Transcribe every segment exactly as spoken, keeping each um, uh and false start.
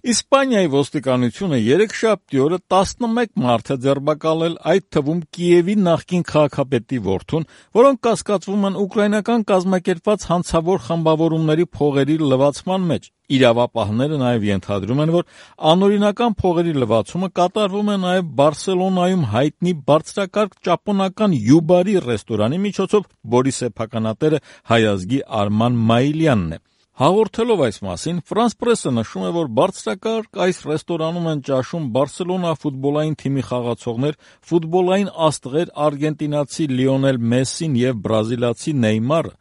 Իսպանիայի ոստիկանությունը երեքշաբթի օրը տասնմեկ մարդ է ձերբակալել, այդ թվում Կիևի նախկին քաղաքապետի որդուն, որոնք կասկածվում են ուկրաինական կազմակերպված հանցավոր խմբավորումների փողերի լվացման մեջ։ Իրավապահները նաև ենթադրում են, որ անօրինական փողերի լվացումը կատարվում է նաև Բարսելոնայում հայտնի բարձրակարգ ճապոնական յուբարի ռեստորանի միջոցով, որի սեփականատերը հայազգի Արման Մայիլյանն է։ Հաղորդելով այս մասին, Ֆրանս պրեսը նշում է, որ բարձրակարգ այս ռեստորանում են ճաշում Բարսելոնա ֆուտբոլային թիմի խաղացողներ, ֆուտբոլային աստղեր արգենտինացի Լիոնել Մեսսին եւ բրազիլացի Նեյմարը։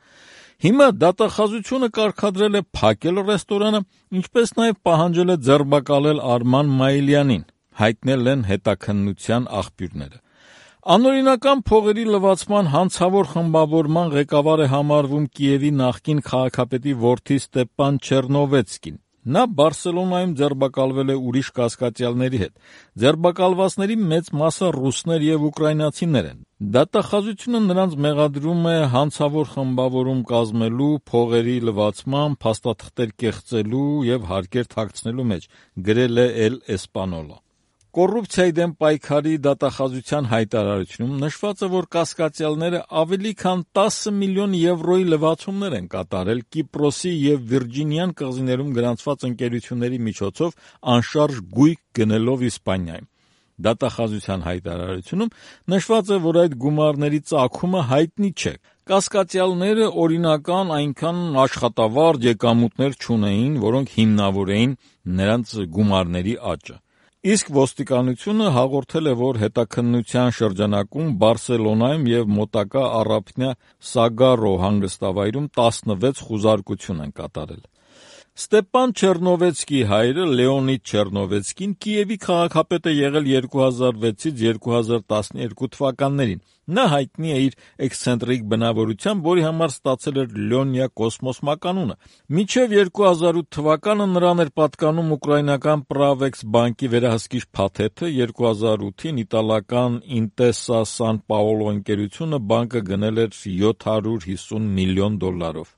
Հիմա դատախազությունը կարգադրել է փակել ռեստորանը, ինչպես նաև պահանջել է ձերբակալել Արման Մայիլյանին, հայտնել են հետաքննության աղբյուրները։ Անօրինական փողերի լվացման հանցավոր խմբավորման ղեկավար է համարվում Կիևի նախկին քաղաքապետի որդի Ստեփան Չեռնովեցկին։ Նա Բարսելոնայում ձերբակալվել է ուրիշ կասկածյալների հետ։ Ձերբակալվածների մեծ մասը ռուսներ եւ ուկրաինացիներ են։ Դատախազությունը նրանց մեղադրում է հանցավոր խմբավորում կազմելու, փողերի լվացման, փաստաթղթեր կեղծելու եւ հարկեր թաքցնելու մեջ, գրել է El Español-ը։ Կոռուպցիայի դեմ պայքարի դատախազության հայտարարությունում նշված է, որ կասկածյալները ավելի քան տասը միլիոն եվրոյի լվացումներ են կատարել Կիպրոսի եւ Վիրջինյան կղզիներում գրանցված ընկերությունների միջոցով անշարժ գույք գնելով Իսպանիայում։ Դատախազության հայտարարությունում նշված է, որ այդ գումարների ծագումը հայտնի չէ։ Կասկածյալները օրինական այնքան աշխատավարձ եկամուտներ չունեին, որոնք հիմնավորեին նրանց գումարների աճը։ Իսկ ոստիկանությունը հաղորդել է, որ հետաքննության շրջանակում Բարսելոնայում եւ մոտակա առափնյա Սագարո հանգստավայրում տասնվեց խուզարկություն են կատարել։ Ստեփան Չեռնովեցկի հայրը Լեոնիդ Չեռնովեցկին Կիևի քաղաքապետ է եղել երկու հազար վեցից երկու հազար տասներկու թվականներին։ Նա հայտնի է իր էքսցենտրիկ բնավորությամբ, որի համար ստացել էր Լյոնյա Կոսմոս մականունը։ Մինչև երկու հազար ութ թվականը նրան էր պատկանում ուկրաինական Pravex բանկի վերահսկիչ փաթեթը, երկու հազար ութին իտալական Intesa San Paolo ընկերությունը բանկը գնել էր յոթ հարյուր հիսուն միլիոն դոլարով։